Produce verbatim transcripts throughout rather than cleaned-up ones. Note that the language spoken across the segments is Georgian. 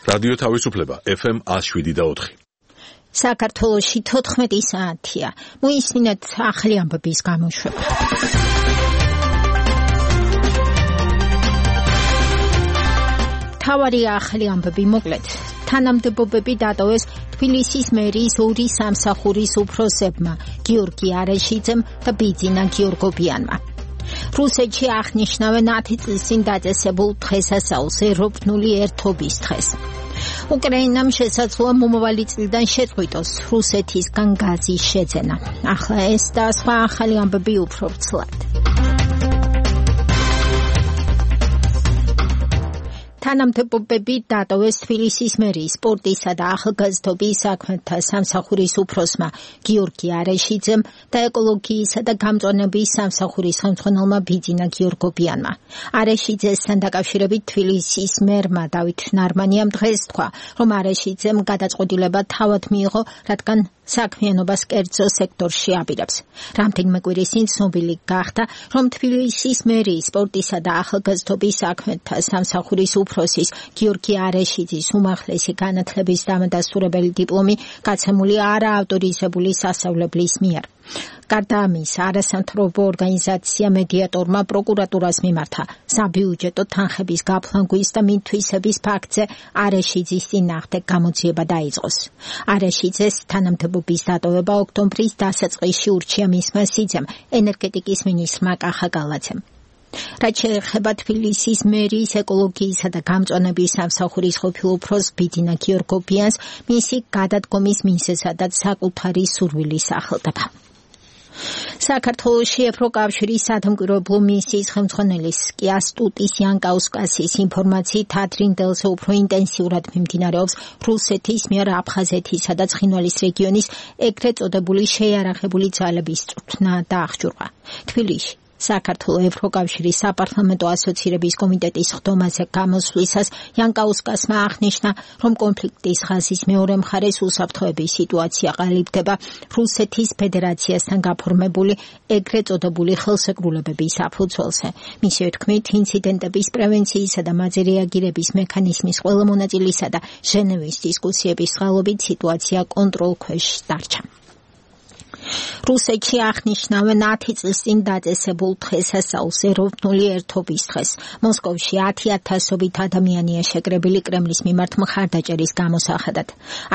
რადიო თავისუფლება ეფ ემ one oh seven და four. საქართველოში თოთხმეტი საათია. მოისმინეთ ახალი ამბების გამოშვება. თავარი ახალი ამბები მოკლედ. თანამდებობები დატოვეს თბილისის მერიის ორი სამსახურის უფროსებმა, გიორგი არეშიძემ და ბიძინა გიორგობიანმა. რუსეთში აღნიშნავენ ათი წლის წინ დაწესებულ დღესასწაულს, ეროვნული ერთობის დღეს. უკრაინამ შესაძლოა მომავალი წლიდან შეწყვიტოს რუსეთისგან გაზის შეძენა. ახლა ეს და სხვა ახალი ამბები უფრო ვრცლად. თანამდებობები დატოვეს თბილისის მერიის სპორტისა და ახალგაზრდობის საქმეთა სამსახურის უფროსმა გიორგი არეშიძემ და ეკოლოგიისა და გამწვანების სამსახურის ხელმძღვანელმა ბიძინა გიორგობიანმა. არეშიძესთან დაკავშირებით თბილისის მერმა დავით ნარმანიამ დღეს თქვა, რომ არეშიძემ გადაწყვეტილება თავად მიიღო, რადგან საქმიანობას კერძო სექტორში აპირებს. რამდენიმე კვირის წინ ცნობილი გახდა, რომ თბილისის მერიის სპორტისა და ახალგაზრდობის საქმეთა სამსახურის უფროსის გიორგი არეშიძის უმაღლესი განათლების დამადასტურებელი დიპლომი გაცემული არაავტორიზებული სასწავლებლის მიერ. გარდა ამისა, არასამთავრობო ორგანიზაცია მედიატორმა პროკურატურას მიმართა საბიუჯეტო თანხების გაფლანგვის და მითვისების ფაქტზე არეშიძის წინააღმდეგ გამოძიება დაიწყოს. არეშიძეს თანამდებობის დატოვება ოქტომბრის დასაწყისში ურჩია მისმა სიძემ, ენერგეტიკის მინისტრმა კახა გალაძემ. რაც შეეხება თბილისის მერიის ეკოლოგიისა და გამწვანების სამსახურის ყოფილ უფროს ბიძინა გიორგობიანს, მისი გადადგომის მიზეზადაც საკუთარი სურვილის სახელდება. საქართველოში ევროკავშირის სადამკვირვებლო მისიის ხელმძღვანელის კიასტუტის იანკაუსკასის ინფორმაციით ადრინდელზე უფრო ინტენსიურად მიმდინარეობს რუსეთის მიერ აფხაზეთისა და ცხინვალის რეგიონის ეგრეთ წოდებული შეიარაღებული ძალების წვრთნა და აღჭურვა. თბილისში საქართველოს ევროკავშირის საპარლამენტო ასოცირების კომიტეტის ხდომაზე გამოსვლისას იანკაუსკასმა აღნიშნა, რომ კონფლიქტის ხაზის მეორე მხარეს უსაფრთხოების სიტუაცია ყალიბდება რუსეთის ფედერაციასთან გაფორმებული ეგრეთ წოდებული ხელშეკრულებების საფუძველზე. მისივე თქმით, ინციდენტების პრევენციისა და მათზე რეაგირების მექანიზმის ყველა მონაწილისა და ჟენევის დისკუსიების წყალობით სიტუაცია კონტროლქვეშ დარჩა. რუსეთში აღნიშნავენ ათი წლის წინ დაწესებულ დღესასწაულს, ეროვნული ერთობის დღეს. მოსკოვში ათი ათასობით ადამიანია შეკრებილი კრემლის მიმართ მხარდაჭერის გამოსახადად.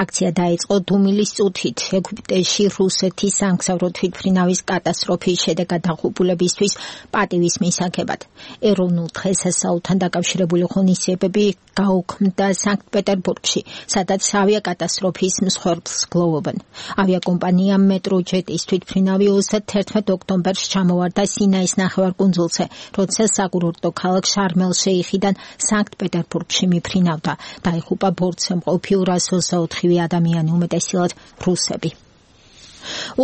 აქცია დაიწყო დუმილის წუთით ეგვიპტეში რუსეთის სამგზავრო თვითმფრინავის კატასტროფის შედეგად დაღუპულებისთვის პატივის მისაღებად. ეროვნულ დღესასწაულთან დაკავშირებული ღონისძიებები გაუქმდა სანქტ-პეტერბურგში, სადაც ავიაკატასტროფის მსხვერპლს გლოვობენ. ავიაკომპანია მეტროჯეტის თვითმფრინავი ოცდაათერთმეტ ოქტომბერს ჩამოვარდა სინაის ნახევარკუნძულზე, როცა საკურორტო ქალაქ შარმელ-შეიხიდან სანქტ-პეტერბურგში მიფრინავდა. დაიღუპა ბორტზე მყოფი ორას ოცდაოთხი ადამიანი, უმეტესწილად რუსები.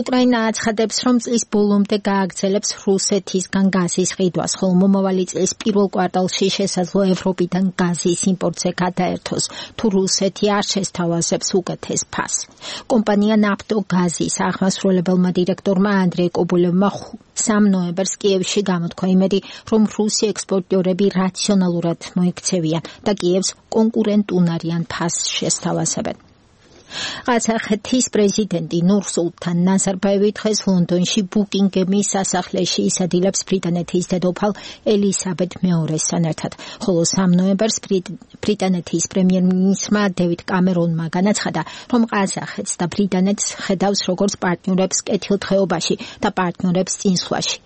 უკრაინა აცხადებს, რომ წლის ბოლომდე გააგრძელებს რუსეთისგან გაზის ყიდვას, ხოლო მომავალი წლის პირველ კვარტალში შესაძლოა ევროპიდან გაზის იმპორტზე გადაერთოს, თუ რუსეთი არ შესთავაზებს უკეთეს ფასს. კომპანია ნაფტოგაზის აღმასრულებელმა დირექტორმა ანდრეი კობულევმა სამ ნოემბერს კიევში გამოთქვა იმედი, რომ რუსი ექსპორტიორები რაციონალურად მოიქცევიან და კიევს კონკურენტუნარიან ფასს შესთავაზებენ. ყაზახეთის პრეზიდენტი ნურ-სულთან ნაზარბაევი დღეს ლონდონში ბუკინგემის სასახლეში ისადილებს ბრიტანეთის დედოფალ ელისაბედ მეორესთან ერთად, ხოლო სამ ნოემბერს ბრიტანეთის პრემიერ-მინისტრმა დევიდ კამერონმა განაცხადა, რომ ყაზახეთს და ბრიტანეთს ხედავს როგორც პარტნიორებს კეთილდღეობაში და პარტნიორებს წინსვლაში.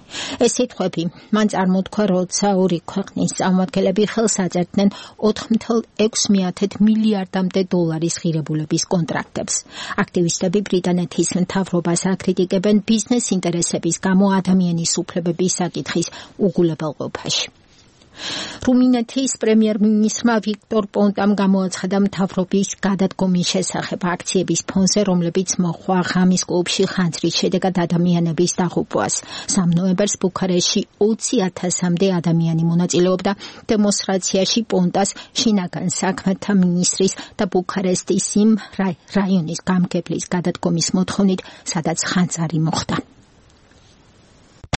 ეს სიტყვები მან წარმოთქვა, როცა ორი ქვეყნის წარმომადგენლები ხელს აწერდნენ ოთხ წუთი ექვსი მილიარდამდე დოლარის ღირებულების კონტრაქტს. აქტივისტები ბრიტანეთის მთავრობას აკრიტიკებენ ბიზნეს ინტერესების გამო ადამიანის უფლებების საკითხის უგულებელყოფაში. რუმინეთის პრემიერ-მინისტრმა ვიქტორ პონტამ გამოაცხადა მთავრობის გადადგომის შესახებ აქციების ფონზე, რომლებიც მოჰყვა ღამის კლუბში ხანძრის შედეგად ადამიანების დაღუპვას. სამ ნოემბერს ბუქარესტში ოცი ათასამდე ადამიანი მონაწილეობდა დემონსტრაციაში პონტას, შინაგან საქმეთა მინისტრის და ბუქარესტის იმ რაიონის გამგებლის გადადგომის მოთხოვნით, სადაც ხანძარი მოხდა.